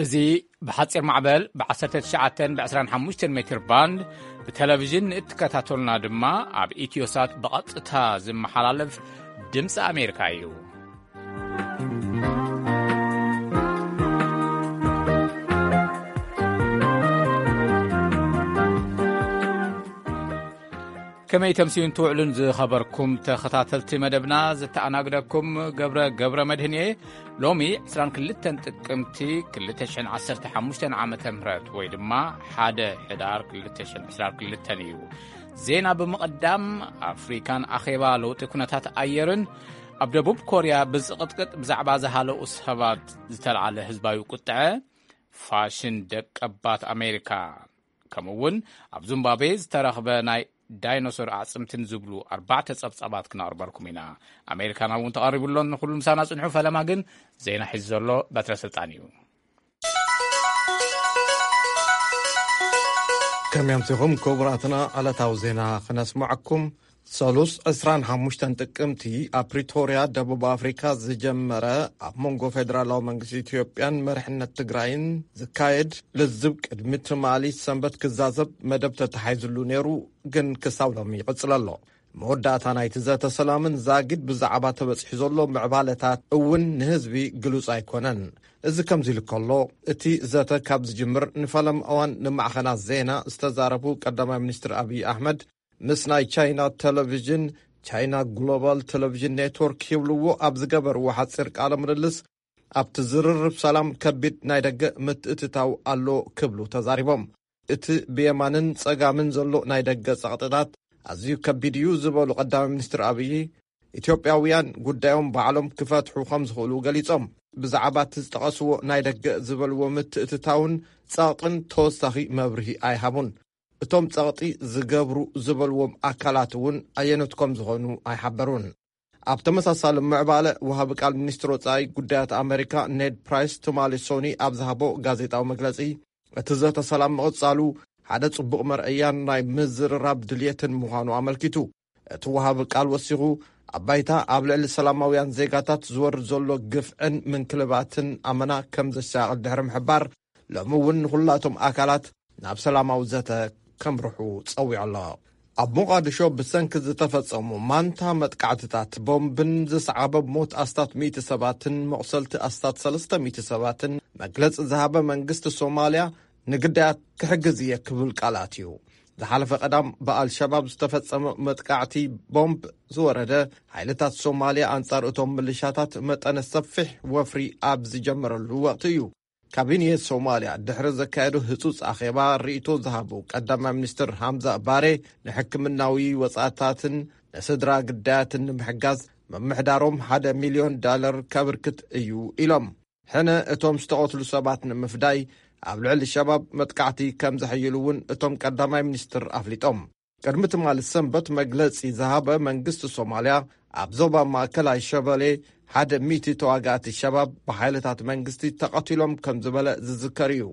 እዚ ብሓጺር ማዕበል ብ19 ብ25 ሜትር ባንድ ብቴሌቪዥን ንእትከታተሉና ድማ ኣብ ኢትዮሳት ብቐጥታ ዝመሓላለፍ ድምፂ ኣሜሪካ እዩ። ከመይ ተምስዩን ትውዕሉን ዝኸበርኩም ተኸታተልቲ መደብና፣ ዝተኣናግደኩም ገብረ፣ ገብረ መድህን እየ። ሎሚ 22 ጥቅምቲ 2015 ዓመተ ምህረት ወይ ድማ 1 ሕዳር 2022 እዩ። ዜና ብምቕዳም፣ ኣፍሪካን ኣኼባ ለውጢ ኩነታት ኣየርን፣ ኣብ ደቡብ ኮርያ ብዝቕጥቅጥ ብዛዕባ ዝሃለኡ ሰባት ዝተልዓለ ህዝባዊ ቁጥዐ፣ ፋሽን ደቀባት ኣሜሪካ፣ ከምኡ እውን ኣብ ዙምባቤ ዝተረኽበ ናይ ዳይኖሶር ኣዕፅምትን ዝብሉ ኣርባዕተ ጸብጻባት ክነቕርበልኩም ኢና። ኣሜሪካና እውን ተቐሪቡ ኣሎ። ንኹሉ ምሳና ጽንሑ። ፈለማ ግን ዜና ሒዙ ዘሎ በትረ ስልጣን እዩ። ከመይ ኣምሲኹም ክቡራትና? ዕለታዊ ዜና ክነስምዐኩም። ሰሉስ 25 ጥቅምቲ ኣብ ፕሪቶርያ ደቡብ ኣፍሪካ ዝጀመረ ኣብ መንጎ ፌደራላዊ መንግስቲ ኢትዮጵያን መሪሕነት ትግራይን ዝካየድ ልዝብ ቅድሚ ትማሊ ሰንበት ክዛዘብ መደብ ተታሒዝሉ ነይሩ፣ ግን ክሳብ ሎሚ ይቕጽል ኣሎ። መወዳእታ ናይቲ ዘተ ሰላምን ዛጊድ ብዛዕባ ተበጺሑ ዘሎ ምዕባለታት እውን ንህዝቢ ግሉጽ ኣይኮነን። እዚ ከምዚ ኢሉ ከሎ፣ እቲ ዘተ ካብ ዝጅምር ንፈለማ እዋን ንማዕኸናት ዜና ዝተዛረቡ ቀዳማይ ሚኒስትር ኣብይ ኣሕመድ፣ ምስ ናይ ቻይና ቴሌቪዥን፣ ቻይና ግሎባል ቴሌቪዥን ኔትወርክ ይብልዎ ኣብ ዝገበርዎ ሓጺር ቃለ ምልልስ፣ ኣብቲ ዝርርብ ሰላም ከቢድ ናይ ደገ ምትእትታው ኣሎ ክብሉ ተዛሪቦም። እቲ ብየማንን ጸጋምን ዘሎ ናይ ደገ ጸቕጥታት ኣዝዩ ከቢድ እዩ ዝበሉ ቀዳማይ ሚኒስትር ኣብይ፣ ኢትዮጵያውያን ጉዳዮም ባዕሎም ክፈትሑ ከም ዝኽእሉ ገሊጾም። ብዛዕባ እቲ ዝጠቐስዎ ናይ ደገ ዝበልዎ ምትእትታውን ጸቕጥን ተወሳኺ መብርሂ ኣይሃቡን። እቶም ጸቕጢ ዝገብሩ ዝበልዎም ኣካላት እውን ኣየኖት ከም ዝኾኑ ኣይሓበሩን። ኣብ ተመሳሳሊ ምዕባለ፣ ወሃቢ ቃል ሚኒስትር ወጻኢ ጉዳያት ኣሜሪካ ኔድ ፕራይስ ትማሊ ሶኒ ኣብ ዝሃቦ ጋዜጣዊ መግለጺ፣ እቲ ዘተ ሰላም ምቕጻሉ ሓደ ጽቡቕ መርኣያን ናይ ምዝርራብ ድልየትን ምዃኑ ኣመልኪቱ። እቲ ወሃቢ ቃል ወሲኹ፣ ኣብ ባይታ ኣብ ልዕሊ ሰላማውያን ዜጋታት ዝወርድ ዘሎ ግፍዕን ምንክልባትን ኣመና ከም ዘሻቕል ድሕሪ ምሕባር፣ ሎሚ እውን ንኹላቶም ኣካላት ናብ ሰላማዊ ዘተ ከምርሑ ጸዊዑ ኣሎ። ኣብ ሞቓድሾ ብሰንኪ ዝተፈጸሙ ማንታ መጥቃዕትታት ቦምብን ዝሰዓበ ሞት ኣስታት ሚእቲ ሰባትን መቑሰልቲ ኣስታት ሰለስተ ሚእቲ ሰባትን መግለጺ ዝሃበ መንግስቲ ሶማልያ፣ ንግዳያት ክሕግዝ እየ ክብል ቃል ኣትዩ። ዝሓለፈ ቀዳም ብኣልሸባብ ዝተፈጸመ መጥቃዕቲ ቦምብ ዝወረደ፣ ሓይልታት ሶማልያ ኣንጻር እቶም ምልሻታት መጠነ ሰፊሕ ወፍሪ ኣብ ዝጀመረሉ ወቕቲ እዩ። ካቢኔ ሶማልያ ድሕሪ ዘካየዶ ህጹጽ ኣኼባ ርእይቶ ዝሃቡ ቀዳማይ ሚኒስትር ሃምዛ ባሬ፣ ንሕክምናዊ ወጻእታትን ንስድራ ግዳያትን ንምሕጋዝ ምምሕዳሮም ሓደ ሚልዮን ዳለር ከብርክት እዩ ኢሎም። ሕነ እቶም ዝተቐትሉ ሰባት ንምፍዳይ ኣብ ልዕሊ ሸባብ መጥቃዕቲ ከም ዘሕይሉ እውን እቶም ቀዳማይ ሚኒስትር ኣፍሊጦም። ቅድሚ ትማሊ ሰንበት መግለጺ ዝሃበ መንግስቲ ሶማልያ፣ ኣብ ዞባ ማእከላይ ሸበሌ ሓደ ሚእቲ ተዋጋእቲ ሸባብ ብሓይልታት መንግስቲ ተቐቲሎም ከም ዝበለ ዝዝከር እዩ።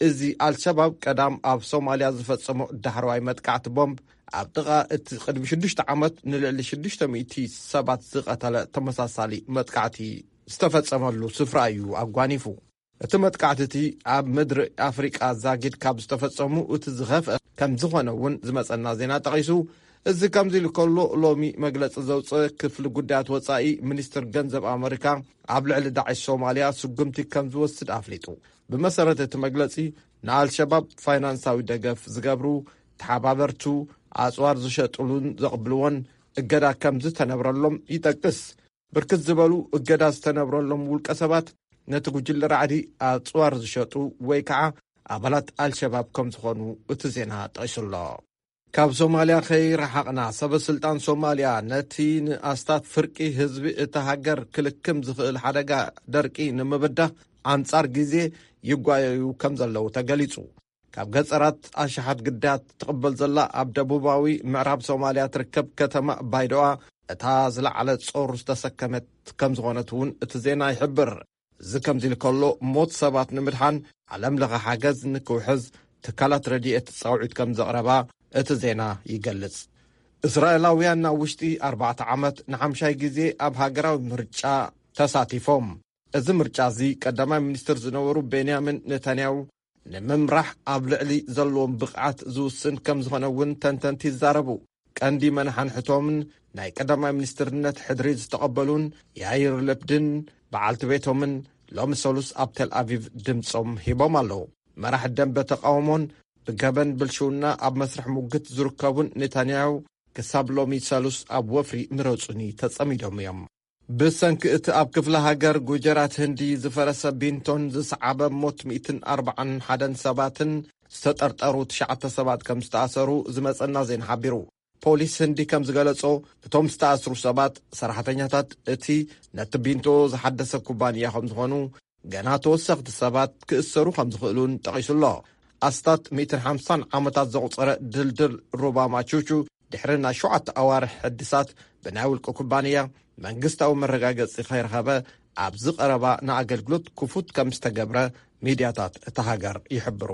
እዚ ኣልሸባብ ቀዳም ኣብ ሶማልያ ዝፈጸሞ ዳሕረዋይ መጥቃዕቲ ቦምብ፣ ኣብ ጥቓ እቲ ቅድሚ ሽዱሽተ ዓመት ንልዕሊ ሽዱሽተ ሚእቲ ሰባት ዝቐተለ ተመሳሳሊ መጥቃዕቲ ዝተፈጸመሉ ስፍራ እዩ ኣጓኒፉ። እቲ መጥቃዕቲ እቲ ኣብ ምድሪ ኣፍሪቃ ዛጊድ ካብ ዝተፈጸሙ እቲ ዝኸፍአ ከም ዝኾነ እውን ዝመጸና ዜና ጠቒሱ። እዚ ከምዚ ኢሉ ከሎ፣ ሎሚ መግለጺ ዘውፅአ ክፍሊ ጉዳያት ወጻኢ ሚኒስትር ገንዘብ ኣመሪካ ኣብ ልዕሊ ዳዕሽ ሶማልያ ስጉምቲ ከም ዝወስድ ኣፍሊጡ። ብመሰረት እቲ መግለጺ፣ ንኣልሸባብ ፋይናንሳዊ ደገፍ ዝገብሩ፣ ተሓባበርቱ፣ ኣጽዋር ዝሸጥሉን ዘቕብልዎን እገዳ ከም ዝተነብረሎም ይጠቅስ። ብርክት ዝበሉ እገዳ ዝተነብረሎም ውልቀ ሰባት ነቲ ጉጅለ ራዕዲ ኣጽዋር ዝሸጡ ወይ ከዓ ኣባላት ኣልሸባብ ከም ዝኾኑ እቲ ዜና ጠቒሱ ኣሎ። ካብ ሶማልያ ከይረሓቕና፣ ሰበ ስልጣን ሶማልያ ነቲ ንኣስታት ፍርቂ ህዝቢ እታ ሃገር ክልክም ዝኽእል ሓደጋ ደርቂ ንምብዳህ ኣንጻር ግዜ ይጓየዩ ከም ዘለዉ ተገሊጹ። ካብ ገጸራት ኣሽሓት ግዳያት ትቕበል ዘላ ኣብ ደቡባዊ ምዕራብ ሶማልያ ትርከብ ከተማ ባይዶኣ፣ እታ ዝለዓለ ጾር ዝተሰከመት ከም ዝኾነት እውን እቲ ዜና ይሕብር። እዚ ከምዚ ኢሉ ከሎ፣ ሞት ሰባት ንምድሓን ዓለም ለኸ ሓገዝ ንክውሕዝ ትካላት ረድኤት ጻውዒት ከም ዘቕረባ እቲ ዜና ይገልጽ። እስራኤላውያን ናብ ውሽጢ ኣርባዕተ ዓመት ንሓምሻይ ግዜ ኣብ ሃገራዊ ምርጫ ተሳቲፎም። እዚ ምርጫ እዚ ቀዳማይ ሚኒስትር ዝነበሩ ቤንያሚን ኔታንያሁ ንምምራሕ ኣብ ልዕሊ ዘለዎም ብቕዓት ዝውስን ከም ዝኾነ እውን ተንተንቲ ይዛረቡ። ቀንዲ መናሓንሕቶምን ናይ ቀዳማይ ሚኒስትርነት ሕድሪ ዝተቐበሉን ያይር ለብድን በዓልቲ ቤቶምን ሎሚ ሰሉስ ኣብ ቴል ኣቪቭ ድምፆም ሂቦም ኣለዉ። መራሒ ደንበ ተቃውሞን ብገበን ብልሽውና ኣብ መስርሕ ሙግት ዝርከቡን ኔታንያሁ ክሳብ ሎሚ ሰሉስ ኣብ ወፍሪ ምረጹኒ ተጸሚዶም እዮም። ብሰንኪ እቲ ኣብ ክፍለ ሃገር ጉጀራት ህንዲ ዝፈረሰ ቢንቶን ዝሰዓበ ሞት ሚእትን ኣርባዓን ሓደን ሰባትን ዝተጠርጠሩ ትሽዓተ ሰባት ከም ዝተኣሰሩ ዝመጸና ዜና ሓቢሩ። ፖሊስ ህንዲ ከም ዝገለጾ፣ እቶም ዝተኣስሩ ሰባት ሰራሕተኛታት እቲ ነቲ ቢንቶ ዝሓደሰ ኩባንያ ከም ዝኾኑ፣ ገና ተወሰኽቲ ሰባት ክእሰሩ ከም ዝኽእሉን ጠቒሱ ኣሎ። ኣስታት ሚእትን ሓምሳን ዓመታት ዘቑጸረ ድልድል ሩባ ማቹቹ ድሕሪ ናይ ሸውዓተ ኣዋርሕ ሕድሳት ብናይ ውልቂ ኩባንያ መንግስታዊ መረጋገጺ ከይረኸበ ኣብዚ ቀረባ ንኣገልግሎት ክፉት ከም ዝተገብረ ሚድያታት እታ ሃገር ይሕብሩ።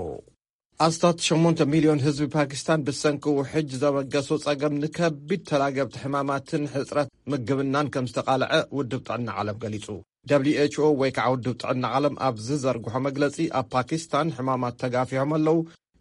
ኣስታት ሸሞንተ ሚልዮን ህዝቢ ፓኪስታን ብሰንኪ ውሕጅ ዘበገሶ ጸገም ንከቢድ ተላገብቲ ሕማማትን ሕጽረት ምግብናን ከም ዝተቓልዐ ውድብ ጥዕና ዓለም ገሊጹ። ደብሊው ኤች ኦ ወይ ከዓ ውድብ ጥዕና ዓለም ኣብ ዝዘርግሖ መግለጺ፣ ኣብ ፓኪስታን ሕማማት ተጋፊሖም ኣለዉ።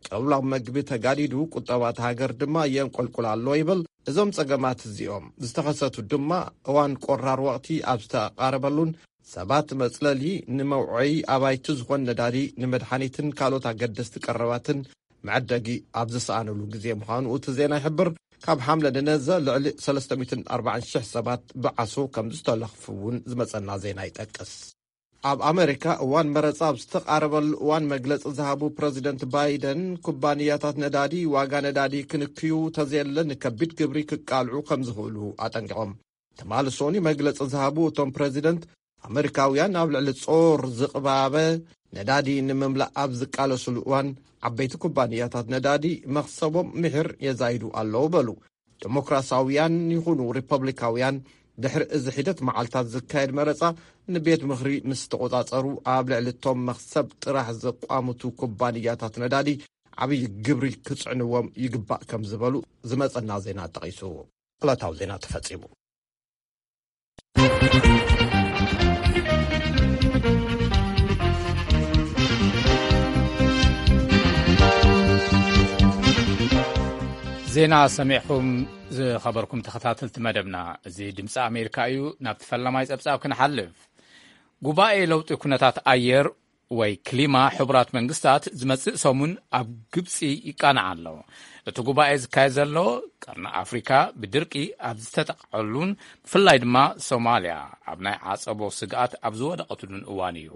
ቅብላ መግቢ ተጋዲዱ፣ ቁጠባ እታ ሃገር ድማ የንቆልቁል ኣሎ ይብል። እዞም ጸገማት እዚኦም ዝተኸሰቱ ድማ እዋን ቆራር ወቕቲ ኣብ ዝተቓረበሉን ሰባት መጽለሊ፣ ንመውዐዪ ኣባይቲ ዝኾን ነዳዲ፣ ንመድሓኒትን ካልኦት ኣገደስቲ ቀረባትን መዐደጊ ኣብ ዝሰኣነሉ ግዜ ምዃኑ እቲ ዜና ይሕብር። ካብ ሓምለ ንነዘ ልዕሊ ሰለስተ ሚእትን ኣርባዓን ሽሕ ሰባት ብዓሶ ከም ዝተለኽፉ እውን ዝመጸና ዜና ይጠቅስ። ኣብ ኣመሪካ እዋን መረጻ ኣብ ዝተቓረበሉ እዋን መግለጺ ዝሃቡ ፕረዚደንት ባይደን፣ ኩባንያታት ነዳዲ ዋጋ ነዳዲ ክንክዩ ተዘየለ ንከቢድ ግብሪ ክቃልዑ ከም ዝኽእሉ ኣጠንቂቖም። ትማሊ ሶኒ መግለጺ ዝሃቡ እቶም ፕረዚደንት፣ ኣመሪካውያን ኣብ ልዕሊ ጾር ዝቕባበ ነዳዲ ንምምላእ ኣብ ዝቃለሱሉ እዋን፣ ዓበይቲ ኩባንያታት ነዳዲ መኽሰቦም ምሒር የዛይዱ ኣለዉ በሉ። ዴሞክራሳውያን ይኹኑ ሪፐብሊካውያን፣ ድሕሪ እዚ ሒደት መዓልታት ዝካየድ መረጻ ንቤት ምኽሪ ምስ ተቖጻጸሩ፣ ኣብ ልዕሊ እቶም መኽሰብ ጥራሕ ዘቋምቱ ኩባንያታት ነዳዲ ዓብዪ ግብሪ ክጽዕንዎም ይግባእ ከም ዝበሉ ዝመጸና ዜና ጠቒሱ። ዕለታዊ ዜና ተፈጺሙ። ዜና ሰሚዕኩም ዝኸበርኩም ተኸታተልቲ መደብና፣ እዚ ድምፂ ኣሜሪካ እዩ። ናብቲ ፈላማይ ጸብጻብ ክንሓልፍ። ጉባኤ ለውጢ ኩነታት ኣየር ወይ ክሊማ ሕቡራት መንግስታት ዝመጽእ ሰሙን ኣብ ግብጺ ይቃናዕ ኣሎ። እቲ ጉባኤ ዝካየድ ዘሎ ቀርኒ ኣፍሪካ ብድርቂ ኣብ ዝተጠቕዐሉን ብፍላይ ድማ ሶማልያ ኣብ ናይ ዓጸቦ ስግኣት ኣብ ዝወደቐትሉን እዋን እዩ።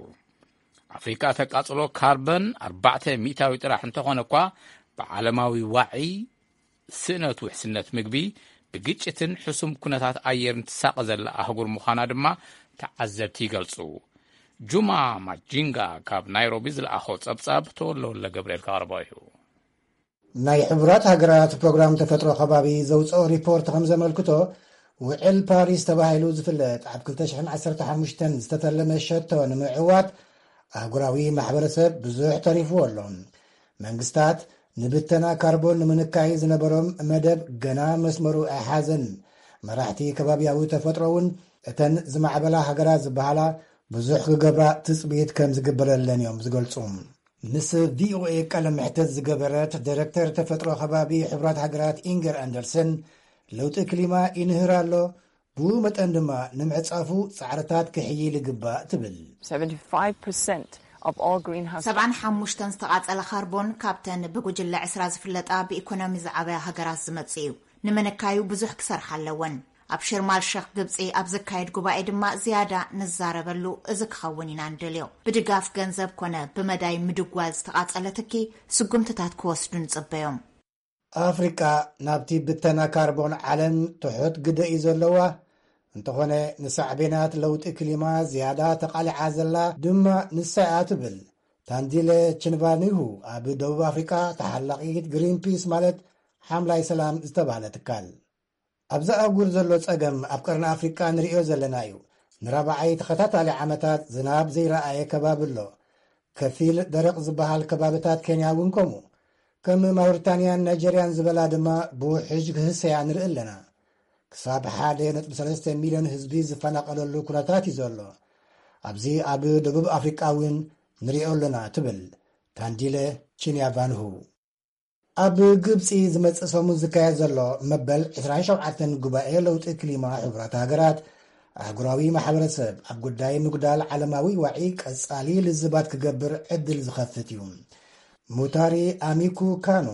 ኣፍሪካ ተቃጽሎ ካርበን ኣርባዕተ ሚእታዊ ጥራሕ እንተኾነ እኳ፣ ብዓለማዊ ዋዒ፣ ስእነት ውሕስነት ምግቢ፣ ብግጭትን ሕሱም ኩነታት ኣየርን ትሳቐ ዘላ ኣህጉር ምዃና ድማ ተዓዘብቲ ይገልጹ። ጁማ ማጂንጋ ካብ ናይሮቢ ዝለኣኾ ጸብጻብ ተወለወለ ገብርኤል ከቕርቦ እዩ። ናይ ሕቡራት ሃገራት ፕሮግራም ተፈጥሮ ከባቢ ዘውፅኦ ሪፖርት ከም ዘመልክቶ፣ ውዕል ፓሪስ ተባሂሉ ዝፍለጥ ኣብ ክልተ ሽሕን ዓሰርተ ሓሙሽተን ዝተፈለመ ሸቶ ንምዕዋት ኣህጉራዊ ማሕበረሰብ ብዙሕ ተሪፍዎ ኣሎ። መንግስታት ንብተና ካርቦን ንምንካይ ዝነበሮም መደብ ገና መስመሩ ኣይሓዘን። መራሕቲ ከባቢያዊ ተፈጥሮ እውን እተን ዝማዕበላ ሃገራት ዝበሃላ ብዙሕ ክገብራ ትፅቢት ከም ዝግበረለን እዮም ዝገልፁ። ምስ ቪኦኤ ቃለ መሕተት ዝገበረት ዳይሬክተር ተፈጥሮ ከባቢ ሕቡራት ሃገራት ኢንገር ኣንደርሰን፣ ለውጢ ክሊማ ይንህር ኣሎ፣ ብኡ መጠን ድማ ንምዕጻፉ ጻዕርታት ክሕይል ይግባእ ትብል። ሰብዓን ሓሙሽተን ዝተቓጸለ ካርቦን ካብተን ብጉጅለ ዕስራ ዝፍለጣ ብኢኮኖሚ ዝዓበያ ሃገራት ዝመጽእ እዩ። ንምንካዩ ብዙሕ ክሰርሓ ኣለወን። ኣብ ሽርማል ሸኽ ግብጺ ኣብ ዝካየድ ጉባኤ ድማ ዝያዳ ንዛረበሉ እዚ ክኸውን ኢና ንደልዮ። ብድጋፍ ገንዘብ ኮነ ብመዳይ ምድጓል ዝተቓጸለ ትኪ ስጉምትታት ክወስዱ ንጽበዮም። ኣፍሪቃ ናብቲ ብተና ካርቦን ዓለም ትሑት ግደ እዩ ዘለዋ። እንተኾነ ንሳዕቤናት ለውጢ ክሊማ ዝያዳ ተቓሊዓ ዘላ ድማ ንሳ እያ ትብል ታንዲለ ችንቫኒሁ ኣብ ደቡብ ኣፍሪቃ ተሓላቒት ግሪንፒስ ማለት ሓምላይ ሰላም ዝተባህለ ትካል። ኣብዚ ኣህጉር ዘሎ ጸገም ኣብ ቀርኒ ኣፍሪቃ ንርእዮ ዘለና እዩ። ንራብዓይ ተኸታታሊ ዓመታት ዝናብ ዘይረኣየ ከባቢ ኣሎ። ከፊል ደረቕ ዝበሃል ከባብታት ኬንያ እውን ከምኡ። ከም ማውሪታንያን ናይጀርያን ዝበላ ድማ ብውሕጅ ክህሰያ ንርኢ ኣለና። ክሳብ ሓደ ነጥቢ ሰለስተ ሚልዮን ህዝቢ ዝፈናቐለሉ ኩነታት እዩ ዘሎ። ኣብዚ ኣብ ደቡብ ኣፍሪቃ እውን ንሪኦ ኣለና ትብል ካንዲለ ቺንያቫንሁ። ኣብ ግብፂ ዝመፅእ ሰሙን ዝካየድ ዘሎ መበል ዕስራን ሸውዓተን ጉባኤ ለውጢ ክሊማ ሕቡራት ሃገራት ኣህጉራዊ ማሕበረሰብ ኣብ ጉዳይ ምጉዳል ዓለማዊ ዋዒ ቀፃሊ ልዝባት ክገብር ዕድል ዝኸፍት እዩ። ሙታሪ ኣሚኩ ካኖ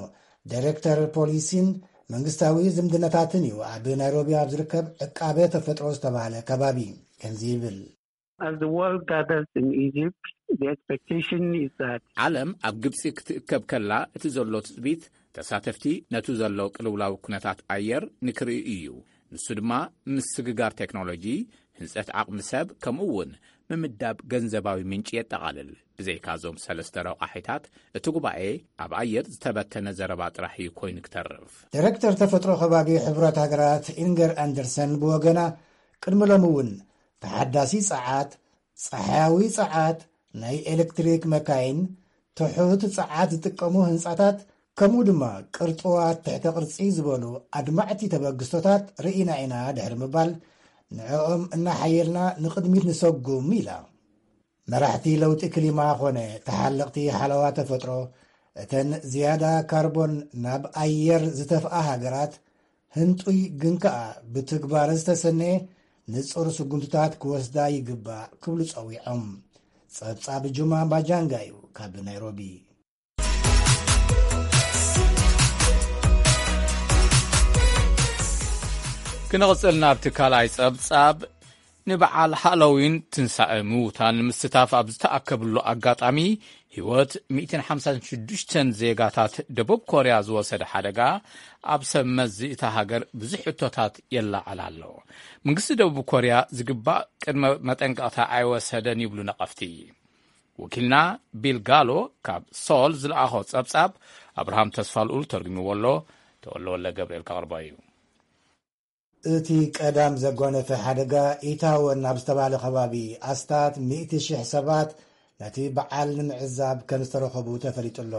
ዳይሬክተር ፖሊሲን መንግስታዊ ዝምድናታትን እዩ ኣብ ናይሮቢ ኣብ ዝርከብ ዕቃበ ተፈጥሮ ዝተባህለ ከባቢ ከምዚ ይብል። As the world gathers in Egypt, the expectation is that ዓለም ኣብ ግብፂ ክትእከብ ከላ እቲ ዘሎ ትፅቢት ተሳተፍቲ ነቱ ዘሎ ቅልውላው ኩነታት ኣየር ንክርእዩ እዩ። ንሱ ድማ ምስግጋር ቴክኖሎጂ፣ ህንፀት ዓቕሚ ሰብ ከምኡ እውን ምምዳብ ገንዘባዊ ምንጪ የጠቓልል። ብዘይካ እዞም ሰለስተ ረቋሒታት እቲ ጉባኤ ኣብ ኣየር ዝተበተነ ዘረባ ጥራሕ እዩ ኮይኑ ክተርፍ። ዳይሬክተር ተፈጥሮ ከባቢ ሕቡራት ሃገራት ኢንገር ኣንደርሰን ብወገና ቅድሚ ሎሚ እውን ተሓዳሲ ጸዓት፣ ጸሓያዊ ጸዓት፣ ናይ ኤሌክትሪክ መካይን፣ ትሑት ጸዓት ዝጥቀሙ ህንጻታት ከምኡ ድማ ቅርጽዋት ትሕተ ቅርጺ ዝበሉ ኣድማዕቲ ተበግስቶታት ርኢና ኢና ድሕሪ ምባል ንዕኦም እናሓየልና ንቕድሚት ንሰጉም ኢላ። መራሕቲ ለውጢ ክሊማ ኾነ ተሓለቕቲ ሓለዋ ተፈጥሮ እተን ዝያዳ ካርቦን ናብ ኣየር ዝተፍኣ ሃገራት ህንጡይ ግን ከኣ ብትግባር ዝተሰነየ ንጹር ስጉምትታት ክወስዳ ይግባእ ክብሉ ጸዊዖም። ጸብጻብ ጁማ ባጃንጋ እዩ ካብ ናይሮቢ። ክንቕጽል ናብቲ ካልኣይ ጸብጻብ። ንበዓል ሃሎዊን ትንሳኤ ምዉታን ንምስታፍ ኣብ ዝተኣከብሉ ኣጋጣሚ ህይወት ሚእትን ሓምሳን ሽዱሽተን ዜጋታት ደቡብ ኮርያ ዝወሰደ ሓደጋ ኣብ ሰብ መዚ እታ ሃገር ብዙሕ ሕቶታት የለዓዕል ኣሎ። መንግስቲ ደቡብ ኮርያ ዝግባእ ቅድመ መጠንቀቕታ ኣይወሰደን ይብሉ ነቐፍቲ። ወኪልና ቢል ጋሎ ካብ ሶል ዝለኣኾ ጸብጻብ ኣብርሃም ተስፋልኡል ተርጉምዎ ኣሎ። ተወልደ ወልደ ገብርኤል ከቕርቦ እዩ። እቲ ቀዳም ዘጓነፈ ሓደጋ ኢታወን ኣብ ዝተባህለ ከባቢ ኣስታት ሚእቲ ሽሕ ሰባት ነቲ በዓል ንምዕዛብ ከም ዝተረኸቡ ተፈሊጡ ኣሎ።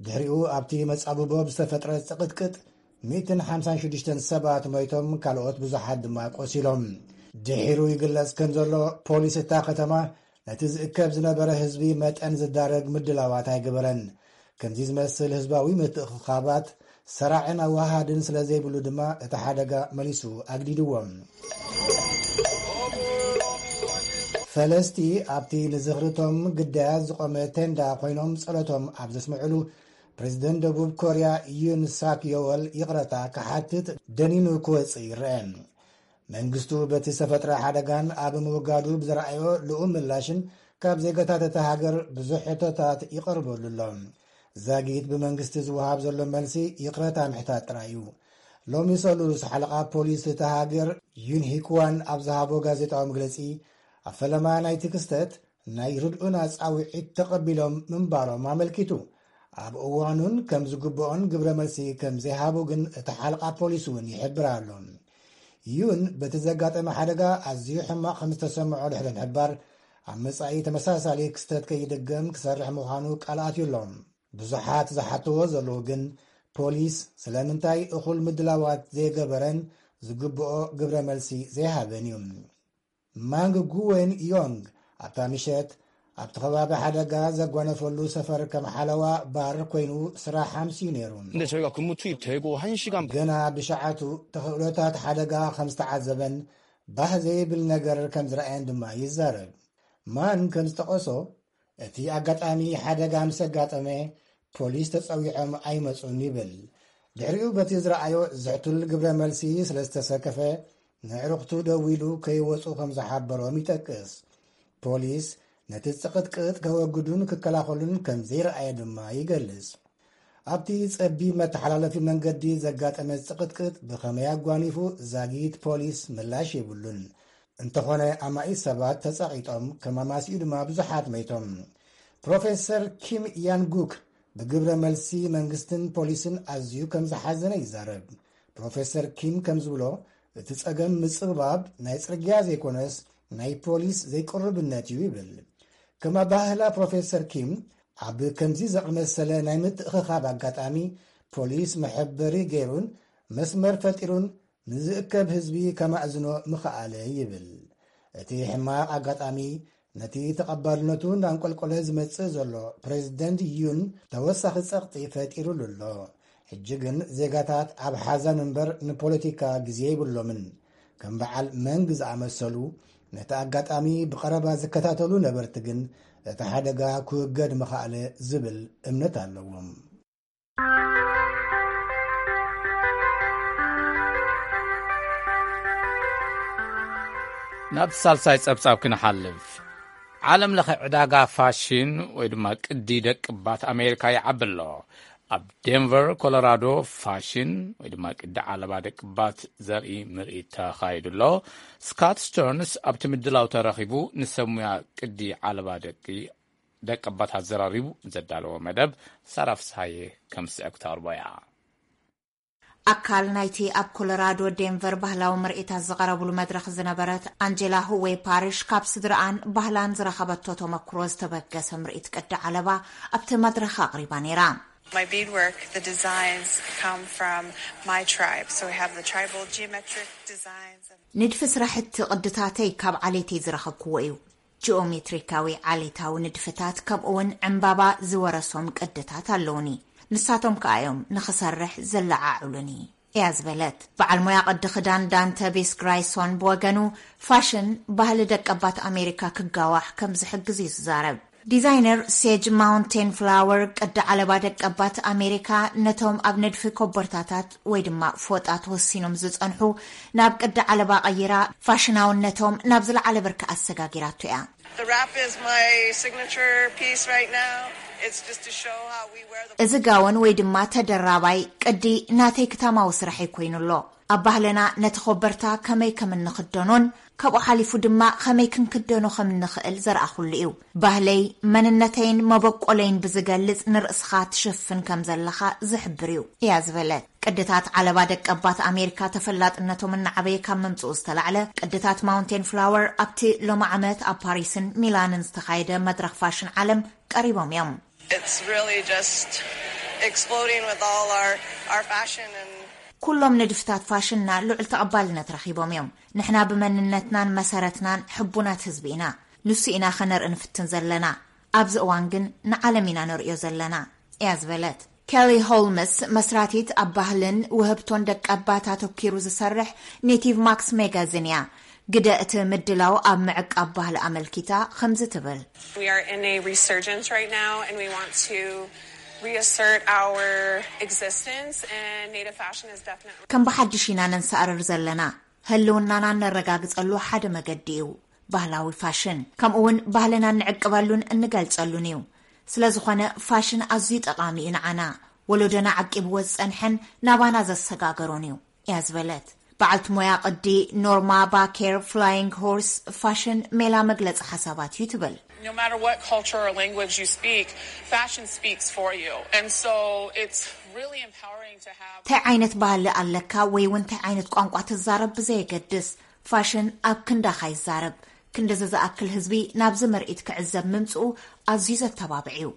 ድሕሪኡ ኣብቲ መጻብቦ ብዝተፈጥረ ጽቕጥቅጥ ሚእትን ሓምሳን ሽዱሽተን ሰባት ሞይቶም፣ ካልኦት ብዙሓት ድማ ቆሲሎም። ድሒሩ ይግለጽ ከም ዘሎ ፖሊስ እታ ከተማ ነቲ ዝእከብ ዝነበረ ህዝቢ መጠን ዝዳረግ ምድላዋት ኣይገበረን። ከምዚ ዝመስል ህዝባዊ ምትእኽኻባት ሰራዕን ኣወሃሃድን ስለ ዘይብሉ ድማ እቲ ሓደጋ መሊሱ ኣግዲድዎም። ፈለስቲ ኣብቲ ንዝኽርቶም ግዳያት ዝቖመ ቴንዳ ኮይኖም ጸሎቶም ኣብ ዘስምዕሉ፣ ፕሬዝደንት ደቡብ ኮርያ ዩን ሳክ ዮወል ይቕረታ ክሓትት ደኒኑ ክወጽእ ይረአ። መንግስቱ በቲ ዝተፈጥረ ሓደጋን ኣብ ምውጋዱ ብዝረኣዮ ልኡም ምላሽን ካብ ዜጋታት እታ ሃገር ብዙሕ ሕቶታት ይቐርበሉ ኣሎ። ዛጊት ብመንግስቲ ዝወሃብ ዘሎ መልሲ ይቕረታ ምሕታት ጥራይ እዩ። ሎሚ ሰሉስ ሓለቓ ፖሊስ እታ ሃገር ዩን ሂክዋን ኣብ ዝሃቦ ጋዜጣዊ መግለጺ ኣብ ፈለማ ናይቲ ክስተት ናይ ርድኡና ጻውዒት ተቐቢሎም ምንባሮም ኣመልኪቱ፣ ኣብ እዋኑን ከም ዝግብኦን ግብረ መልሲ ከም ዘይሃቡ ግን እቲ ሓለቓ ፖሊስ እውን ይሕብር ኣሎ። ዩን በቲ ዘጋጠመ ሓደጋ ኣዝዩ ሕማቕ ከም ዝተሰምዖ ድሕሪ ምሕባር፣ ኣብ መጻኢ ተመሳሳሊ ክስተት ከይድገም ክሰርሕ ምዃኑ ቃል ኣትዩ ኣሎ። ብዙሓት ዝሓትዎ ዘለዉ ግን ፖሊስ ስለምንታይ እኹል ምድላዋት ዘይገበረን ዝግብኦ ግብረ መልሲ ዘይሃበን እዩ። ማንግ ጉዌን ዮንግ ኣብታ ምሸት ኣብቲ ከባቢ ሓደጋ ዘጓነፈሉ ሰፈር ከም ሓለዋ ባር ኮይኑ ስራሕ ኣምስዩ ነይሩ። 근데 저희가 근무 투입되고 한 시간 ገና ብሸዓቱ ተኽእሎታት ሓደጋ ከም ዝተዓዘበን ባህ ዘይብል ነገር ከም ዝረኣየን ድማ ይዛረብ። ማን ከም ዝጠቐሶ፣ እቲ ኣጋጣሚ ሓደጋ ምስ ኣጋጠመ ፖሊስ ተጸዊዖም ኣይመጹን ይብል። ድሕሪኡ በቲ ዝረኣዮ ዝሕቱል ግብረ መልሲ ስለ ዝተሰከፈ፣ ንዕሩኽቱ ደዊሉ ከይወጹ ከም ዝሓበሮም ይጠቅስ። ፖሊስ ነቲ ጽቕጥቅጥ ከወግዱን ክከላኸሉን ከም ዘይረኣየ ድማ ይገልጽ። ኣብቲ ጸቢብ መተሓላለፊ መንገዲ ዘጋጠመ ጽቕጥቅጥ ብኸመይ ኣጓኒፉ ዛጊት ፖሊስ ምላሽ የብሉን። እንተኾነ ኣማኢት ሰባት ተጸቒጦም፣ ከማማሲኡ ድማ ብዙሓት መይቶም። ፕሮፌሰር ኪም ያንጉክ ብግብረ መልሲ መንግስትን ፖሊስን ኣዝዩ ከም ዝሓዘነ ይዛረብ። ፕሮፌሰር ኪም ከም ዝብሎ፣ እቲ ጸገም ምጽብባብ ናይ ጽርግያ ዘይኮነስ ናይ ፖሊስ ዘይቅሩብነት እዩ ይብል። ከም ኣባህላ ፕሮፌሰር ኪም፣ ኣብ ከምዚ ዝኣመሰለ ናይ ምትእኽኻብ ኣጋጣሚ ፖሊስ መሐበሪ ገይሩን መስመር ፈጢሩን ንዝእከብ ህዝቢ ከማእዝኖ ምኽኣለ ይብል። እቲ ሕማቕ ኣጋጣሚ ነቲ ተቐባልነቱ እንዳንቆልቆለ ዝመጽእ ዘሎ ፕሬዚደንት ዩን ተወሳኺ ጸቕጢ ፈጢሩሉ ኣሎ። ሕጂ ግን ዜጋታት ኣብ ሓዘን እምበር ንፖለቲካ ግዜ የብሎምን። ከም በዓል መንግ ዝኣመሰሉ ነቲ ኣጋጣሚ ብቐረባ ዝከታተሉ ነበርቲ ግን እቲ ሓደጋ ክውገድ ምኽኣለ ዝብል እምነት ኣለዎም። ናብ ሳልሳይ ጸብጻብ ክንሓልፍ። ዓለም ለኸ ዕዳጋ ፋሽን ወይ ድማ ቅዲ ደቅባት ኣሜሪካ ይዓቢ ኣሎ። ኣብ ዴንቨር ኮሎራዶ ፋሽን ወይ ድማ ቅዲ ዓለባ ደቅባት ዘርኢ ምርኢት ተኻይዱ ኣሎ። ስካት ስተርንስ ኣብቲ ምድላው ተረኺቡ ንሰሙያ ቅዲ ዓለባ ደቂ ደቀባት ኣዘራሪቡ ዘዳለዎ መደብ ሳራ ፍስሃየ ከም ዝስዕብ ክተቕርቦ እያ። ኣካል ናይቲ ኣብ ኮሎራዶ ዴንቨር ባህላዊ ምርኢታት ዝቐረብሉ መድረኽ ዝነበረት ኣንጀላ ሁዌ ፓሪሽ ካብ ስድራኣን ባህላን ዝረኸበቶ ተመክሮ ዝተበገሰ ምርኢት ቅዲ ዓለባ ኣብቲ መድረኽ ኣቕሪባ ነይራ። My beadwork, the designs come from my tribe. So we have the tribal geometric designs. And ንድፊ ስራሕቲ ቅድታተይ ካብ ዓሌተይ ዝረኸብክዎ እዩ። ጂኦሜትሪካዊ ዓሌታዊ ንድፍታት ከምኡውን ዕምባባ ዝወረሶም ቅድታት ኣለውኒ። ንሳቶም ከኣ እዮም ንኽሰርሕ ዘለዓዕሉኒ እያ ዝበለት። በዓል ሞያ ቅዲ ክዳን ዳንተ ቤስ ግራይሶን ብወገኑ ፋሽን ባህሊ ደቀባት ኣሜሪካ ክጋዋሕ ከም ዝሕግዝ እዩ ዝዛረብ። ዲዛይነር ሴጅ ማውንቴን ፍላወር ቅዲ ዓለባ ደቀባት ኣሜሪካ ነቶም ኣብ ንድፊ ኮቦርታታት ወይ ድማ ፎጣ ተወሲኖም ዝጸንሑ ናብ ቅዲ ዓለባ ቀይራ ፋሽናውነቶም ናብ ዝለዓለ ብርኪ ኣሰጋጊራቶ እያ። The wrap is my signature piece right now. It's just to show how we wear the እዚ ጋውን ወይ ድማ ተደራባይ ቅዲ ናተይ ክታማዊ ስራሐይ ኮይኑ ኣሎ። ኣብ ባህልና ነቲ ኮበርታ ከመይ ከም እንኽደኖን ካብኡ ሓሊፉ ድማ ከመይ ክንክደኖ ከም እንኽእል ዘርኣኹሉ እዩ። ባህለይ፣ መንነተይን መበቆለይን ብዝገልጽ ንርእስኻ ትሽፍን ከም ዘለኻ ዝሕብር እዩ እያ ዝበለት። ቅድታት ዓለባ ደቀባት ኣሜሪካ ተፈላጥነቶም እናዓበየ ካብ ምምጽኡ ዝተላዕለ ቅድታት ማውንቴን ፍላወር ኣብቲ ሎሚ ዓመት ኣብ ፓሪስን ሚላንን ዝተኻየደ መድረኽ ፋሽን ዓለም ቀሪቦም እዮም። It's really just exploding with all our our fashion and ኩሎም ንድፍታት ፋሽንና ልዑል ተቐባልነት ረኺቦም እዮም። ንሕና ብመንነትናን መሰረትናን ሕቡናት ህዝቢ ኢና። ንሱ ኢና ኸነርኢ ንፍትን ዘለና። ኣብዚ እዋን ግን ንዓለም ኢና ነርእዮ ዘለና እያ ዝበለት። ኬሊ ሆልምስ መስራቲት ኣብ ባህልን ውህብቶን ደቀባት ኣተኪሩ ዝሰርሕ ኔቲቭ ማክስ ሜጋዚን እያ። ግደ እቲ ምድላው ኣብ ምዕቃብ ባህሊ ኣመልኪታ ከምዚ ትብል። We are in a resurgence right now and we want to reassert our existence and native fashion is definitely ከም ብሓድሽ ኢና ነንሰኣርር ዘለና። ህልውናና እነረጋግጸሉ ሓደ መገዲ እዩ ባህላዊ ፋሽን። ከምኡ እውን ባህልና እንዕቅበሉን እንገልጸሉን እዩ። ስለ ዝኾነ ፋሽን ኣዝዩ ጠቓሚ እዩ ንዓና። ወለዶና ዓቂብዎ ዝጸንሐን ናባና ዘሰጋገሮን እዩ እያ ዝበለት። በዓልቲ ሞያ ቅዲ ኖርማ ባኬር ፍላይንግ ሆርስ ፋሽን ሜላ መግለጺ ሓሳባት እዩ ትብል። No matter what culture or language you speak, fashion speaks for you. And so it's really empowering to have እንታይ ዓይነት ባህሊ ኣለካ ወይ እውን እንታይ ዓይነት ቋንቋ ትዛረብ ብዘየገድስ ፋሽን ኣብ ክንዳኻ ይዛረብ። ክንድዚ ዝኣክል ህዝቢ ናብዚ ምርኢት ክዕዘብ ምምፅኡ ኣዝዩ ዘተባብዕ እዩ።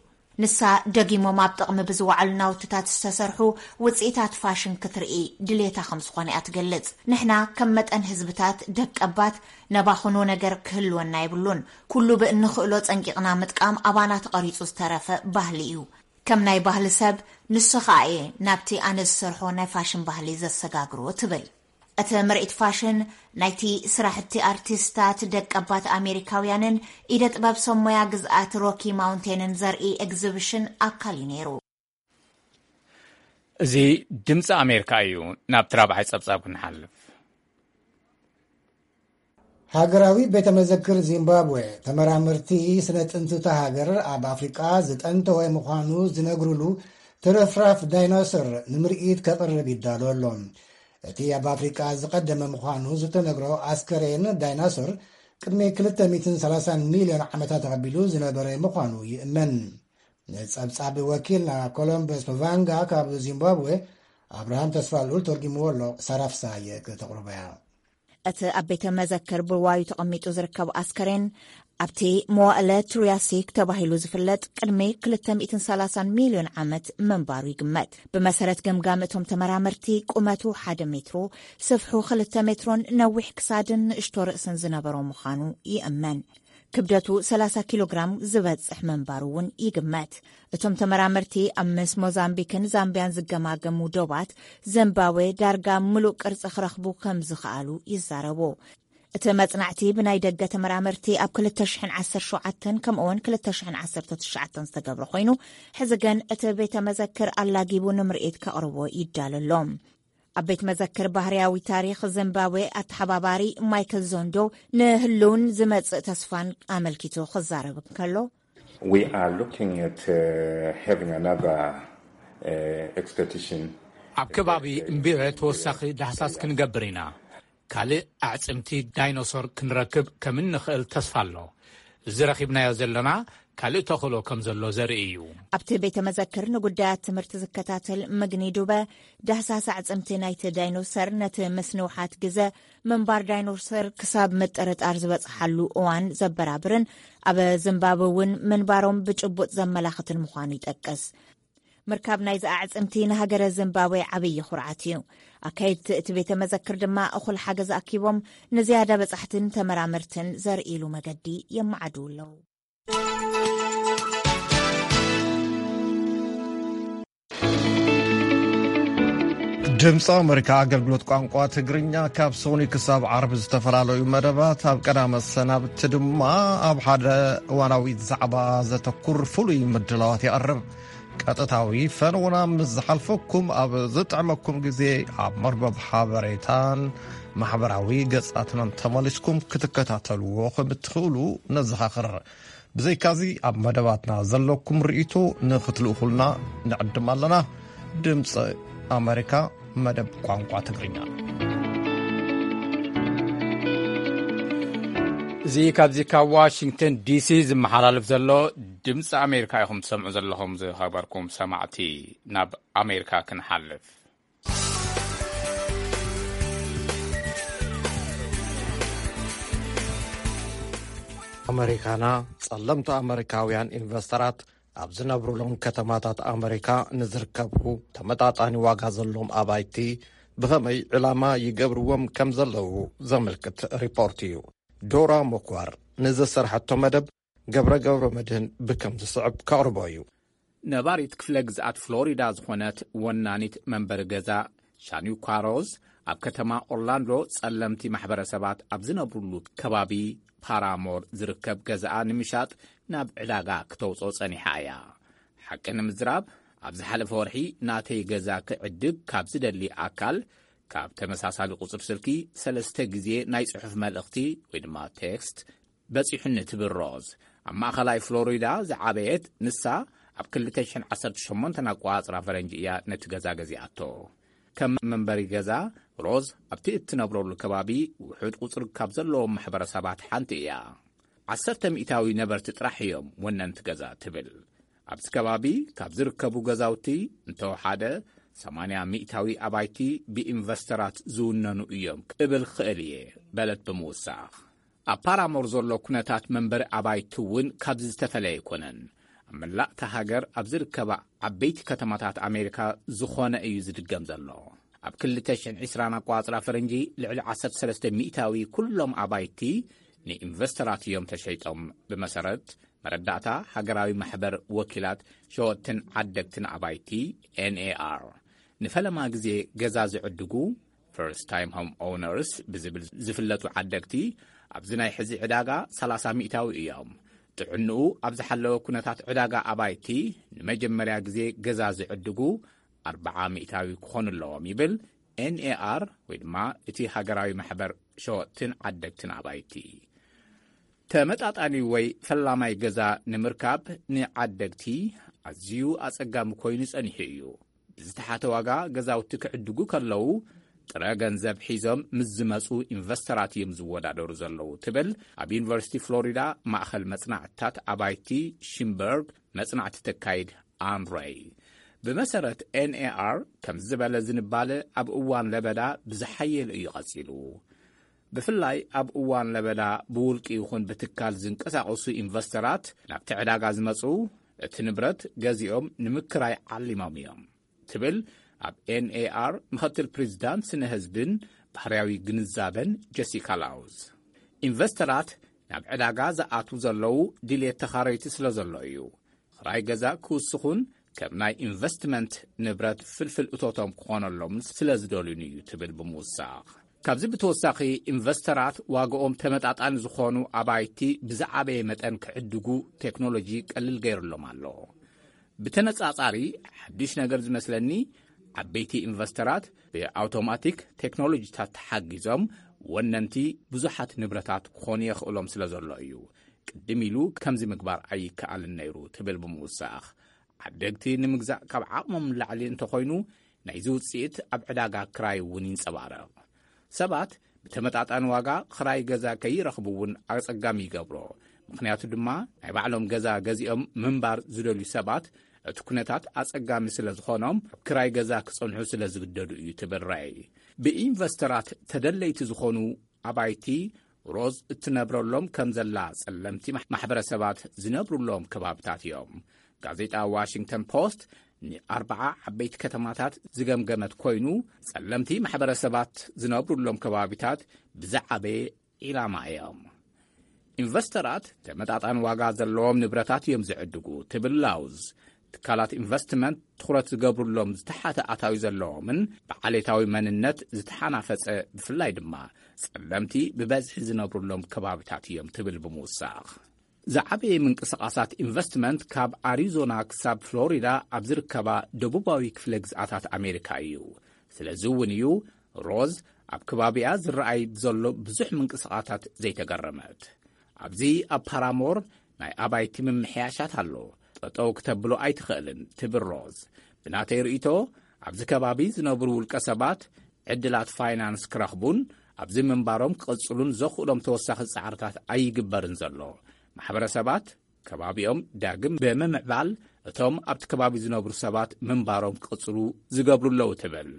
ንሳ ደጊሞም ኣብ ጥቕሚ ብዝወዓሉ ናውትታት ዝተሰርሑ ውፅኢታት ፋሽን ክትርኢ ድሌታ ከም ዝኾነ እያ ትገልጽ። ንሕና ከም መጠን ህዝብታት ደቀባት ነባኽኖ ነገር ክህልወና የብሉን። ኩሉ ብእንኽእሎ ጸንቂቕና ምጥቃም ኣባና ተቐሪጹ ዝተረፈ ባህሊ እዩ። ከም ናይ ባህሊ ሰብ ንሱ ኸኣ እየ ናብቲ ኣነ ዝሰርሖ ናይ ፋሽን ባህሊ ዘሰጋግሮ ትብል። እቲ ምርኢት ፋሽን ናይቲ ስራሕቲ ኣርቲስታት ደቀባት ኣሜሪካውያንን ኢደ ጥበብ ሰብ ሞያ ግዝኣት ሮኪ ማውንቴንን ዘርኢ ኤግዚቢሽን ኣካል እዩ ነይሩ። እዚ ድምፂ ኣሜሪካ እዩ። ናብቲ ራብዓይ ፀብፃብ ክንሓልፍ። ሃገራዊ ቤተ መዘክር ዚምባብዌ ተመራመርቲ ስነ ጥንቲ እታ ሃገር ኣብ ኣፍሪቃ ዝጠንተወ ምዃኑ ዝነግሩሉ ትርፍራፍ ዳይኖሰር ንምርኢት ከቕርብ ይዳሎ ኣሎ። እቲ ኣብ ኣፍሪቃ ዝቐደመ ምዃኑ ዝተነግሮ ኣስከሬን ዳይኖሰር ቅድሚ ክልተ ሚእትን ሰላሳን ሚልዮን ዓመታት ኣቐቢሉ ዝነበረ ምዃኑ ይእመን። ንጸብጻብ ወኪልና ኮሎምበስ ፓቫንጋ ካብ ዚምባብዌ ኣብርሃም ተስፋልኡል ተርጊምዎ ኣሎ። ሳራ ፍስሃየ ከተቕርቦ እያ። እቲ ኣብ ቤተ መዘክር ብዋዩ ተቐሚጡ ዝርከብ ኣስከሬን ኣብቲ መዋእለ ትሩያሲክ ተባሂሉ ዝፍለጥ ቅድሚ ክልተ ሚእትን ሰላሳን ሚልዮን ዓመት ምንባሩ ይግመት። ብመሰረት ገምጋም እቶም ተመራመርቲ ቁመቱ ሓደ ሜትሮ፣ ስፍሑ ክልተ ሜትሮን ነዊሕ ክሳድን ንእሽቶ ርእስን ዝነበሮ ምዃኑ ይእመን። ክብደቱ ሰላሳ ኪሎ ግራም ዝበጽሕ ምንባሩ እውን ይግመት። እቶም ተመራመርቲ ኣብ ምስ ሞዛምቢክን ዛምቢያን ዝገማገሙ ዶባት ዘምባዌ ዳርጋ ምሉእ ቅርጺ ክረኽቡ ከም ዝኸኣሉ ይዛረቡ። እቲ መጽናዕቲ ብናይ ደገ ተመራመርቲ ኣብ ክልተ ሽሕን ዓሰርተ ሸውዓተን ከምኡውን ክልተ ሽሕን ዓሰርተ ትሽዓተን ዝተገብረ ኮይኑ፣ ሕዚ ግን እቲ ቤተ መዘክር ኣላጊቡ ንምርኢት ከቕርቦ ይዳሎ ኣሎ። ኣብ ቤት መዘክር ባህርያዊ ታሪኽ ዚምባብዌ ኣተሓባባሪ ማይክል ዞንዶ ንህልውን ዝመጽእ ተስፋን ኣመልኪቱ ክዛረብ እንከሎ፣ We are looking at uh, having another uh, expedition. ኣብ ከባቢ እምቢረ ተወሳኺ ዳህሳስ ክንገብር ኢና። ካልእ ኣዕጽምቲ ዳይኖሶር ክንረክብ ከም እንኽእል ተስፋ ኣሎ። እዚ ረኺብናዮ ዘለና ካልእ ተኽእሎ ከም ዘሎ ዘርኢ እዩ። ኣብቲ ቤተ መዘክር ንጉዳያት ትምህርቲ ዝከታተል ምግኒ ዱበ፣ ዳህሳስ ኣዕጽምቲ ናይቲ ዳይኖሰር ነቲ ምስ ንውሓት ግዘ ምንባር ዳይኖሰር ክሳብ ምጥርጣር ዝበጽሓሉ እዋን ዘበራብርን ኣብ ዚምባብወ እውን ምንባሮም ብጭቡጥ ዘመላኽትን ምዃኑ ይጠቅስ። ምርካብ ናይዚ ኣዕጽምቲ ንሃገረ ዚምባብዌ ዓብዪ ኩርዓት እዩ። ኣካየድቲ እቲ ቤተ መዘክር ድማ እኹል ሓገዝ ኣኪቦም ንዝያዳ በጻሕትን ተመራመርትን ዘርእሉ መገዲ የመዓድዉ ኣለዉ። ድምፂ ኣመሪካ ኣገልግሎት ቋንቋ ትግርኛ ካብ ሶኒ ክሳብ ዓርቢ ዝተፈላለዩ መደባት፣ ኣብ ቀዳመ ሰናብቲ ድማ ኣብ ሓደ እዋናዊ ዛዕባ ዘተኩር ፍሉይ ምድላዋት የቕርብ። ቀጥታዊ ፈነውና ምስ ዝሓልፈኩም፣ ኣብ ዝጥዕመኩም ግዜ ኣብ መርበብ ሓበሬታን ማሕበራዊ ገጻትናን ተመሊስኩም ክትከታተልዎ ከም እትኽእሉ ነዘኻኽር። ብዘይካዚ፣ ኣብ መደባትና ዘለኩም ርእይቶ ንኽትልእኹልና ንዕድም ኣለና። ድምፂ ኣመሪካ፣ መደብ ቋንቋ ትግርኛ። እዚ ካብዚ ካብ ዋሽንግተን ዲሲ ዝመሓላለፍ ዘሎ ድምፂ ኣሜሪካ ኢኹም ትሰምዑ ዘለኹም፣ ዝኸበርኩም ሰማዕቲ። ናብ ኣሜሪካ ክንሓልፍ። ኣመሪካና፣ ጸለምቲ ኣመሪካውያን ኢንቨስተራት ኣብ ዝነብሩሎም ከተማታት ኣመሪካ ንዝርከቡ ተመጣጣኒ ዋጋ ዘለዎም ኣባይቲ ብኸመይ ዕላማ ይገብርዎም ከም ዘለዉ ዘመልክት ሪፖርት እዩ። ዶራ ሞኳር ንዘሰርሐቶ መደብ ገብረ ገብረ መድህን ብከም ዝስዕብ ከቕርቦ እዩ። ነባሪት ክፍለ ግዝኣት ፍሎሪዳ ዝኾነት ወናኒት መንበሪ ገዛ ሻኒኳ ሮዝ፣ ኣብ ከተማ ኦርላንዶ ጸለምቲ ማሕበረሰባት ኣብ ዝነብሩሉ ከባቢ ፓራሞር ዝርከብ ገዛኣ ንምሻጥ ናብ ዕዳጋ ክተውፅኦ ጸኒሓ እያ። ሓቂ ንምዝራብ፣ ኣብ ዝሓለፈ ወርሒ ናተይ ገዛ ክዕድግ ካብ ዝደሊ ኣካል፣ ካብ ተመሳሳሊ ቁጽሪ ስልኪ ሰለስተ ግዜ ናይ ጽሑፍ መልእኽቲ ወይ ድማ ቴክስት በጺሑኒ ትብል ሮዝ፣ ኣብ ማእኸላይ ፍሎሪዳ ዝዓበየት ንሳ፣ ኣብ ክልተ ሽሕን ዓሰርተ ሸሞንተን ኣቆጻጽራ ፈረንጂ እያ ነቲ ገዛ ገዚኣቶ። ከም መንበሪ ገዛ፣ ሮዝ ኣብቲ እትነብረሉ ከባቢ ውሑድ ቁጽሪ ካብ ዘለዎም ማሕበረሰባት ሓንቲ እያ። ዓሰርተ ሚእታዊ ነበርቲ ጥራሕ እዮም ወነንቲ ገዛ ትብል። ኣብዚ ከባቢ ካብ ዝርከቡ ገዛውቲ እንተወሓደ ሰማንያ ሚእታዊ ኣባይቲ ብኢንቨስተራት ዝውነኑ እዮም ክብል ክእል እየ በለት ብምውሳኽ። ኣብ ፓራሞር ዘሎ ኩነታት መንበሪ ኣባይቲ እውን ካብዚ ዝተፈለየ ኣይኮነን። ኣብ መላእ እታ ሃገር ኣብ ዝርከባ ዓበይቲ ከተማታት ኣሜሪካ ዝኾነ እዩ ዝድገም ዘሎ። ኣብ ክልተ ሽሕን ዕስራን ኣቋጽራ ፈረንጂ ልዕሊ ዓሰርተ ሰለስተ ሚእታዊ ኩሎም ኣባይቲ ንኢንቨስተራት እዮም ተሸይጦም። ብመሰረት መረዳእታ ሃገራዊ ማሕበር ወኪላት ሸወጥትን ዓደግትን ኣባይቲ፣ ኤንኤኣር፣ ንፈለማ ግዜ ገዛ ዝዕድጉ፣ ፈርስት ታይም ሆም ኦውነርስ ብዝብል ዝፍለጡ ዓደግቲ፣ ኣብዚ ናይ ሕዚ ዕዳጋ ሰላሳ ሚእታዊ እዮም። ጥዕንኡ ኣብ ዝሓለወ ኩነታት ዕዳጋ ኣባይቲ ንመጀመርያ ግዜ ገዛ ዝዕድጉ ኣርብዓ ሚእታዊ ክኾኑ ኣለዎም ይብል ኤንኤኣር፣ ወይ ድማ እቲ ሃገራዊ ማሕበር ሸወጥትን ዓደግትን ኣባይቲ። ተመጣጣኒ ወይ ፈላማይ ገዛ ንምርካብ ንዓደግቲ ኣዝዩ ኣጸጋሚ ኮይኑ ጸኒሑ እዩ። ብዝተሓተ ዋጋ ገዛውቲ ክዕድጉ ከለዉ፣ ጥረ ገንዘብ ሒዞም ምስ ዝመጹ ኢንቨስተራት እዮም ዝወዳደሩ ዘለዉ ትብል ኣብ ዩኒቨርሲቲ ፍሎሪዳ ማእኸል መጽናዕትታት ኣባይቲ ሽምበርግ መጽናዕቲ ተካይድ ኣን ሬይ። ብመሰረት ኤንኤኣር፣ ከም ዝበለ ዝንባለ ኣብ እዋን ለበዳ ብዝሓየለ እዩ ቀጺሉ። ብፍላይ ኣብ እዋን ለበዳ ብውልቂ ይኹን ብትካል ዝንቀሳቐሱ ኢንቨስተራት ናብቲ ዕዳጋ ዝመጹ፣ እቲ ንብረት ገዚኦም ንምክራይ ዓሊሞም እዮም ትብል ኣብ ኤንኤኣር ምኽትል ፕሬዚዳንት ስነ ህዝብን ባህርያዊ ግንዛበን ጀሲካ ላውዝ። ኢንቨስተራት ናብ ዕዳጋ ዝኣትዉ ዘለዉ ድሌት ተኻረይቲ ስለ ዘሎ እዩ። ክራይ ገዛ ክውስኹን ከም ናይ ኢንቨስትመንት ንብረት ፍልፍል እቶቶም ክኾነሎምን ስለ ዝደልዩን እዩ ትብል ብምውሳኽ። ካብዚ ብተወሳኺ፣ ኢንቨስተራት ዋጋኦም ተመጣጣኒ ዝኾኑ ኣባይቲ ብዝዓበየ መጠን ክዕድጉ ቴክኖሎጂ ቀልል ገይሩሎም ኣሎ። ብተነጻጻሪ፣ ሓድሽ ነገር ዝመስለኒ፣ ዓበይቲ ኢንቨስተራት ብኣውቶማቲክ ቴክኖሎጂታት ተሓጊዞም ወነንቲ ብዙሓት ንብረታት ክኾኑ የኽእሎም ስለ ዘሎ እዩ። ቅድም ኢሉ ከምዚ ምግባር ኣይከኣልን ነይሩ ትብል ብምውሳኽ፣ ዓደግቲ ንምግዛእ ካብ ዓቕሞም ንላዕሊ እንተኾይኑ፣ ናይዚ ውጽኢት ኣብ ዕዳጋ ክራይ እውን ይንጸባረቕ። ሰባት ብተመጣጣኒ ዋጋ ክራይ ገዛ ከይረኽቡ እውን ኣጸጋሚ ይገብሮ። ምኽንያቱ ድማ፣ ናይ ባዕሎም ገዛ ገዚኦም ምንባር ዝደልዩ ሰባት፣ እቲ ኩነታት ኣጸጋሚ ስለ ዝኾኖም፣ ኣብ ክራይ ገዛ ክጸንሑ ስለ ዝግደዱ እዩ ትብል ራይ። ብኢንቨስተራት ተደለይቲ ዝኾኑ ኣባይቲ፣ ሮዝ እትነብረሎም ከም ዘላ ጸለምቲ ማሕ-፣ ማሕበረሰባት ዝነብሩሎም ከባብታት እዮም። ጋዜጣ ዋሽንግተን ፖስት ንኣርባዓ ዓበይቲ ከተማታት ዝገምገመት ኮይኑ፣ ጸለምቲ ማሕበረሰባት ዝነብሩሎም ከባቢታት ብዝዓበየ ዒላማ እዮም። ኢንቨስተራት ተመጣጣኒ ዋጋ ዘለዎም ንብረታት እዮም ዝዕድጉ ትብል ላውዝ። ትካላት ኢንቨስትመንት ትኹረት ዝገብሩሎም ዝተሓተ ኣታዊ ዘለዎምን ብዓሌታዊ መንነት ዝተሓናፈጸ፣ ብፍላይ ድማ ጸለምቲ ብበዝሒ ዝነብሩሎም ከባቢታት እዮም ትብል ብምውሳኽ፣ ዝዓበየ ምንቅስቓሳት ኢንቨስትመንት ካብ ኣሪዞና ክሳብ ፍሎሪዳ ኣብ ዝርከባ ደቡባዊ ክፍለ ግዝኣታት ኣሜሪካ እዩ። ስለዚ እውን እዩ ሮዝ ኣብ ከባቢኣ ዝረኣይ ብዘሎ ብዙሕ ምንቅስቓሳት ዘይተገረመት። ኣብዚ ኣብ ፓራሞር ናይ ኣባይቲ ምምሕያሻት ኣሎ። ጠጠው ክተብሎ ኣይትኽእልን ትብል ሮዝ። ብናተይ ርእይቶ፣ ኣብዚ ከባቢ ዝነብሩ ውልቀ ሰባት ዕድላት ፋይናንስ ክረኽቡን ኣብዚ ምንባሮም ክቕጽሉን ዘኽእሎም ተወሳኺ ጻዕርታት ኣይግበርን ዘሎ። ማሕበረሰባት ከባቢኦም ዳግም ብምምዕባል፣ እቶም ኣብቲ ከባቢ ዝነብሩ ሰባት ምንባሮም ክቕጽሉ ዝገብሩ ኣለዉ ትብል።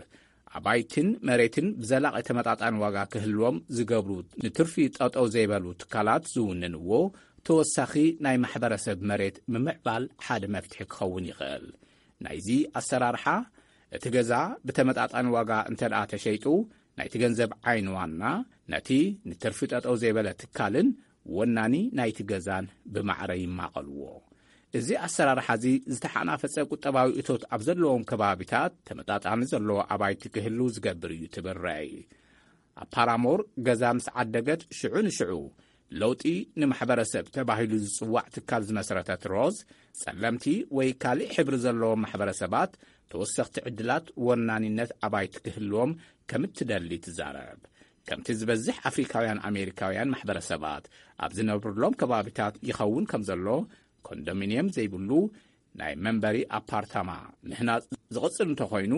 ኣባይትን መሬትን ብዘላቒ ተመጣጣኒ ዋጋ ክህልዎም ዝገብሩ፣ ንትርፊ ጠጠው ዘይበሉ ትካላት ዝውንንዎ ተወሳኺ ናይ ማሕበረሰብ መሬት ምምዕባል ሓደ መፍትሒ ክኸውን ይኽእል። ናይዚ ኣሰራርሓ፣ እቲ ገዛ ብተመጣጣኒ ዋጋ እንተ ደኣ ተሸይጡ፣ ናይቲ ገንዘብ ዓይኒ ዋና ነቲ ንትርፊ ጠጠው ዘይበለ ትካልን ወናኒ ናይቲ ገዛን ብማዕረ ይማቐልዎ። እዚ ኣሰራርሓ እዚ ዝተሓናፈጸ ቁጠባዊ እቶት ኣብ ዘለዎም ከባቢታት ተመጣጣኒ ዘለዎ ኣባይቲ ክህሉ ዝገብር እዩ ትብል ራይ። ኣብ ፓራሞር ገዛ ምስ ዓደገት ሽዑ ንሽዑ ለውጢ ንማሕበረሰብ ተባሂሉ ዝጽዋዕ ትካል ዝመስረተት ሮዝ፣ ጸለምቲ ወይ ካልእ ሕብሪ ዘለዎም ማሕበረሰባት ተወሰኽቲ ዕድላት ወናኒነት ኣባይቲ ክህልዎም ከም እትደሊ ትዛረብ። ከምቲ ዝበዝሕ ኣፍሪካውያን ኣሜሪካውያን ማሕበረሰባት ኣብ ዝነብሩሎም ከባቢታት ይኸውን ከም ዘሎ፣ ኮንዶሚንየም ዘይብሉ ናይ መንበሪ ኣፓርታማ ምህናጽ ዝቕጽል እንተኾይኑ፣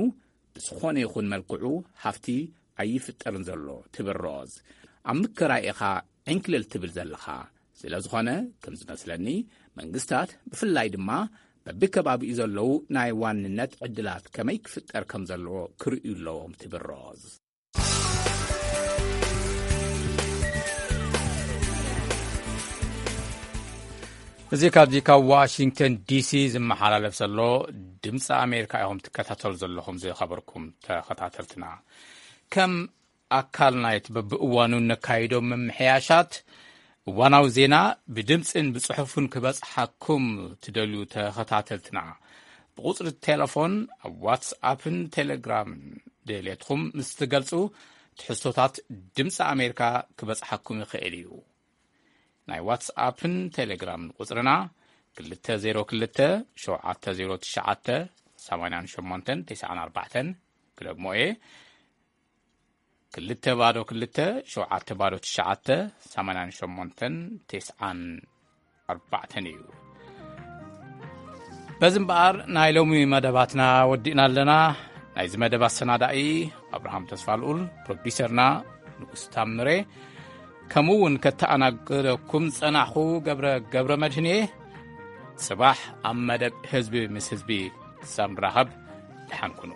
ብዝኾነ ይኹን መልክዑ ሃፍቲ ኣይፍጠርን ዘሎ ትብል ሮዝ። ኣብ ምክራይ ኢኻ ዕንክልል ትብል ዘለኻ። ስለ ዝኾነ፣ ከም ዝመስለኒ፣ መንግስታት ብፍላይ ድማ በብከባቢኡ ዘለዉ ናይ ዋንነት ዕድላት ከመይ ክፍጠር ከም ዘለዎ ክርእዩ ኣለዎም ትብል ሮዝ። እዚ ካብዚ ካብ ዋሽንግተን ዲሲ ዝመሓላለፍ ዘሎ ድምፂ ኣሜሪካ ኢኹም ትከታተሉ ዘለኹም፣ ዝኸበርኩም ተኸታተልትና። ከም ኣካል ናይቲ በብእዋኑ ነካይዶም ምምሕያሻት፣ እዋናዊ ዜና ብድምፅን ብፅሑፍን ክበፅሓኩም ትደልዩ ተኸታተልትና፣ ብቁፅሪ ቴሌፎን፣ ኣብ ዋትስኣፕን ቴሌግራምን ድሌትኩም ምስ ትገልፁ፣ ትሕዝቶታት ድምፂ ኣሜሪካ ክበፅሓኩም ይኽእል እዩ። ናይ ዋትስኣፕን ቴሌግራምን ቁፅርና፣ ክልተ ዜሮ ክልተ ሸውዓተ ዜሮ ትሽዓተ ሰማንያን ሸሞንተን ተስዓን ኣርባዕተን፣ ክደግሞ እየ፣ ክልተ ባዶ ክልተ ሸውዓተ ባዶ ትሽዓተ ሰማንያን ሸሞንተን ተስዓን ኣርባዕተን እዩ። በዚ እምበኣር፣ ናይ ሎሚ መደባትና ወዲእና ኣለና። ናይዚ መደብ ኣሰናዳኢ ኣብርሃም ተስፋልኡል፣ ፕሮዲሰርና ንጉስ ታምሬ፣ ከምኡ እውን ከተኣናግደኩም ዝጸናሕኩ ገብረ፣ ገብረ መድህን እየ። ጽባሕ ኣብ መደብ ህዝቢ ምስ ህዝቢ ክሳብ ንራኸብ፣ ደሓን ኩኑ።